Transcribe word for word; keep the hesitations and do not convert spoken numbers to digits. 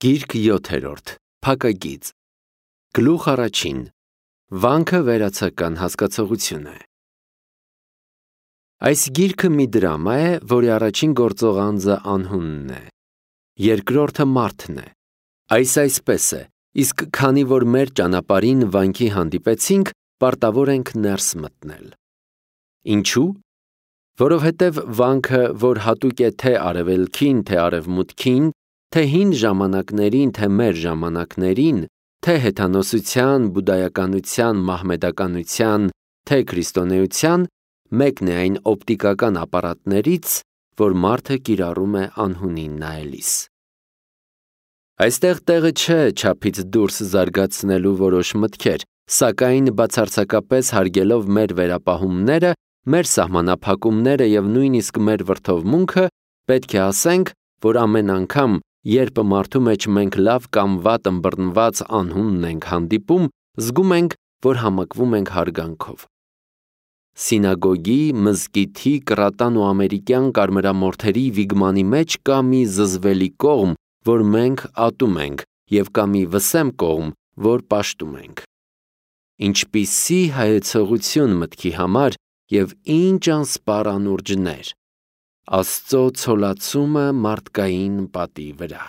Գիրք յոթերորդ, Փակագիծ, Գլուխ առաջին, Վանքը վերացական հասկացողություն է։ Այս գիրքը մի դրամա է, որի առաջին գործող անձը անհունն է, երկրորդը մարդն է։ Այս այսպես է, իսկ քանի որ մեր ճանապարհին վանքի հանդիպեցինք, պարտավոր ենք ներս մտնել։ Ինչու՞։ Որովհետև վանքը, որ հատուկ է թե արևելքին, թե արևմուտքին, թե հին ժամանակներին, թե մեր ժամանակներին, թե հեթանոսության, բուդդայականության, մահմեդականության, թե քրիստոնեության, մեկն է այն օպտիկական ապարատներից, որ մարդը կիրառում է անհունին նայելիս։ Այստեղ տեղը չէ չափից դուրս զարգացնելու որոշ մտքեր, սակայն բացարձակապես հարգելով մեր վերապահումները, մեր սահմանափակումները և նույնիսկ մեր վրդովմունքը, պետք է ասենք, որ ամեն անգամ, երբ մարդու մեջ մենք լավ կամ վատ ըմբռնված անհունն ենք հանդիպում, զգում ենք, որ համակվում ենք հարգանքով։ Սինագոգի, մզկիթի, կռատան ու ամերիկյան կարմրամորթերի վիգմանի մեջ կա մի զզվելի կողմ, որ մենք ատում ենք, և կա մի վսեմ կողմ, որ պաշտում ենք։ Ինչպիսի հայեցողություն մտքի համար և ինչ անսպառ անուրջներ, Աստծո ցոլացումը մարդկային պատի վրա։